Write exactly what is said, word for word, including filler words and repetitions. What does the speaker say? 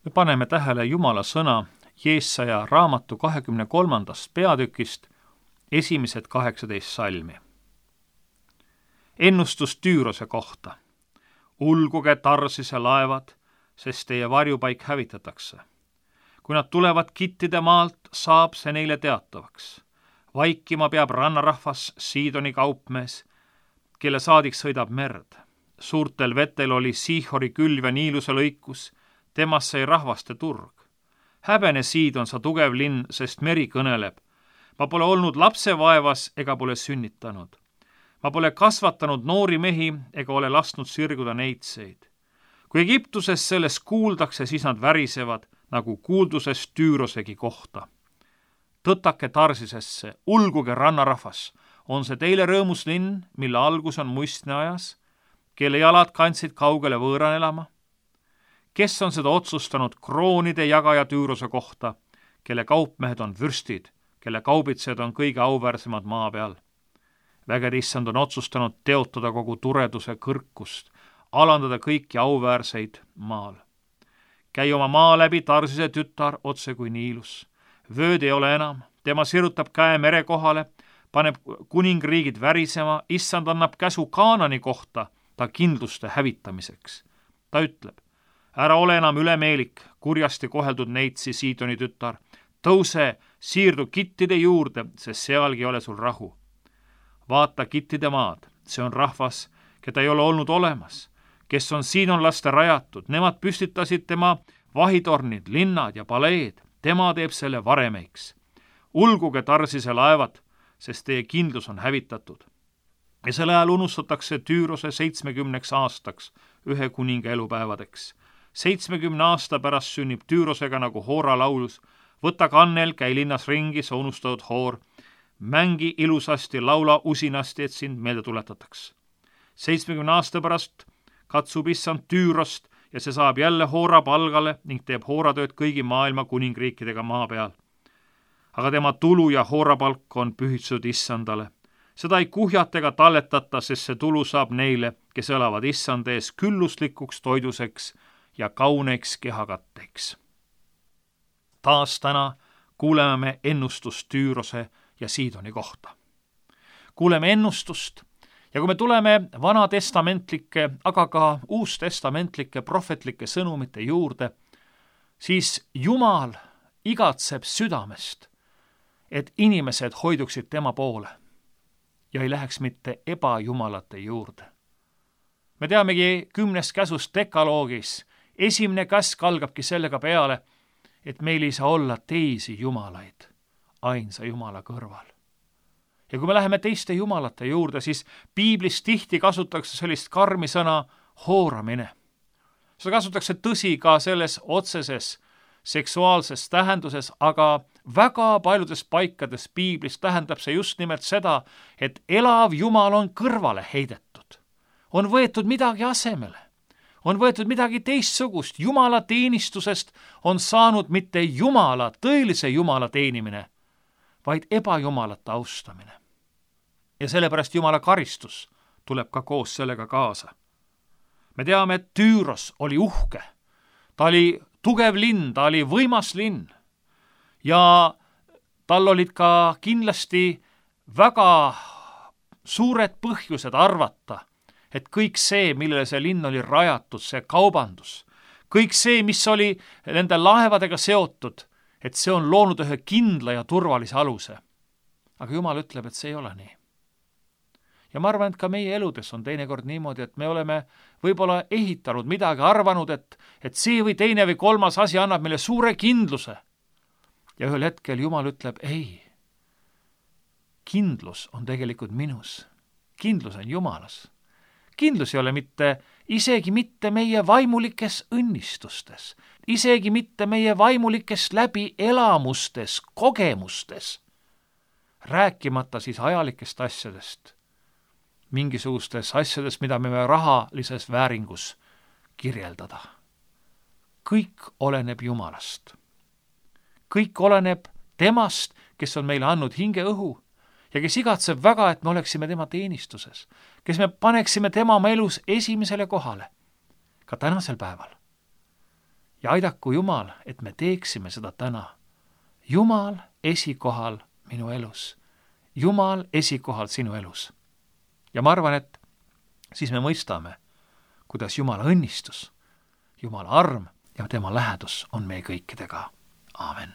Me paneme tähele Jumala sõna Jeesaja raamatu kahekümne kolmandast peatükist esimesed kaheksateist salmi. Ennustus Tüürose kohta. Ulguge Tarsise laevad, sest teie varjupaik hävitatakse. Kui nad tulevad Kittide maalt, saab see neile teatavaks. Vaikima peab rannarahvas Siidoni kaupmees, kelle saadik sõidab merd. Suurtel vetel oli Siihori külv ja Niiluse lõikus, temast sai rahvaste turg. Häbene Siidon, sa tugev linn, sest meri kõneleb. Ma pole olnud lapsevaevas ega pole sünnitanud. Ma pole kasvatanud noori mehi ega ole lasknud sirguda neitseid. Kui Egiptuses sellest kuuldakse, siis nad värisevad, nagu kuuldusest Tüürosegi kohta. Tõtake Tarsisesse, ulguge rannarahvas, on see teile rõõmus linn, mille algus on muistne ajas, kelle jalad kandsid kaugele võõran elama? Kes on seda otsustanud kroonide jagaja Tüürose kohta, kelle kaupmehed on vürstid, kelle kaubitsejad on kõige auväärsemad maa peal? Vägede issand on otsustanud teotada kogu tureduse kõrkust, alandada kõiki auväärseid maal. Käi oma maa läbi, Tarsise tütar, otse kui Niilus. Vööd ei ole enam, tema sirutab käe mere kohale, paneb kuningriigid värisema, issand annab käsu Kaanani kohta ta kindluste hävitamiseks. Ta ütleb, ära ole enam ülemeelik, kurjasti koheldud neitsi Siidoni tütar, tõuse, siirdu Kittide juurde, sest sealgi ei ole sul rahu. Vaata Kittide maad, see on rahvas, keda ei ole olnud olemas, kes on siidonlaste rajatud, nemad püstitasid tema vahitornid, linnad ja paleed, tema teeb selle varemeiks. Ulguge Tarsise laevad, sest teie kindlus on hävitatud. Ja selle ajal unustatakse Tüürose seitsmekümneks aastaks ühe kuninga elupäevadeks. Seitsmekümne aasta pärast sünnib Tüürosega nagu Hoora laulus, võta kannel, käi linnas ringi, sa unustatud Hoor, mängi ilusasti, laula usinasti, et sind meelde tuletataks. Seitsmekümne aasta pärast katsub issand Tüürost ja see saab jälle Hoora palgale ning teeb Hooratööd kõigi maailma kuningriikidega maa peal. Aga tema tulu ja Hoora palk on pühitsetud issandale. Seda ei kuhjata ega talletata, sest see tulu saab neile, kes elavad issand ees külluslikuks toiduseks ja kauneiks kehakatteks. Taas täna kuuleme me ennustust Tüürose ja Siidoni kohta. Kuuleme ennustust ja kui me tuleme vanatestamentlike, aga ka uustestamentlike prohvetlike sõnumite juurde, siis Jumal igatseb südamest, et inimesed hoiduksid tema poole ja ei läheks mitte ebajumalate juurde. Me teamegi kümnest käsust dekaloogis, esimene käsk algabki sellega peale, et meil ei saa olla teisi jumalaid ainsa Jumala kõrval. Ja kui me läheme teiste jumalate juurde, siis piiblis tihti kasutatakse sellist karmi sõna hooramine. Seda kasutatakse tõsi ka selles otseses seksuaalses tähenduses, aga väga paljudes paikades piiblis tähendab see just nimelt seda, et elav Jumal on kõrvale heidetud. On võetud midagi asemele. On võetud midagi teistsugust. Jumala teenistusest on saanud mitte Jumala, tõelise Jumala teenimine, vaid ebajumalate austamine. Ja sellepärast Jumala karistus tuleb ka koos sellega kaasa. Me teame, et Tüüros oli uhke. Ta oli tugev linn, ta oli võimas linn. Ja tal olid ka kindlasti väga suured põhjused arvata, et kõik see, millele see linn oli rajatud, see kaubandus, kõik see, mis oli nende laevadega seotud, et see on loonud ühe kindla ja turvalise aluse. Aga Jumal ütleb, et see ei ole nii. Ja ma arvan, et ka meie eludes on teinekord niimoodi, et me oleme võib-olla ehitanud midagi, arvanud, et, et see või teine või kolmas asi annab meile suure kindluse. Ja ühel hetkel Jumal ütleb, ei, kindlus on tegelikult minus. Kindlus on Jumalas. Kindlus ei ole mitte, isegi mitte meie vaimulikes õnnistustes, isegi mitte meie vaimulikes läbi elamustes, kogemustes, rääkimata siis ajalikest asjadest, mingisugustes asjades, mida me rahalises vääringus kirjeldada. Kõik oleneb Jumalast. Kõik oleneb temast, kes on meile andnud hinge õhu ja kes igatseb väga, et me oleksime tema teenistuses, kes me paneksime tema oma elus esimesele kohale, ka tänasel päeval. ja aidaku Jumal, et me teeksime seda täna. Jumal esikohal minu elus. Jumal esikohal sinu elus. Ja ma arvan, et siis me mõistame, kuidas Jumala õnnistus, Jumala arm ja tema lähedus on meie kõikidega. Aamen.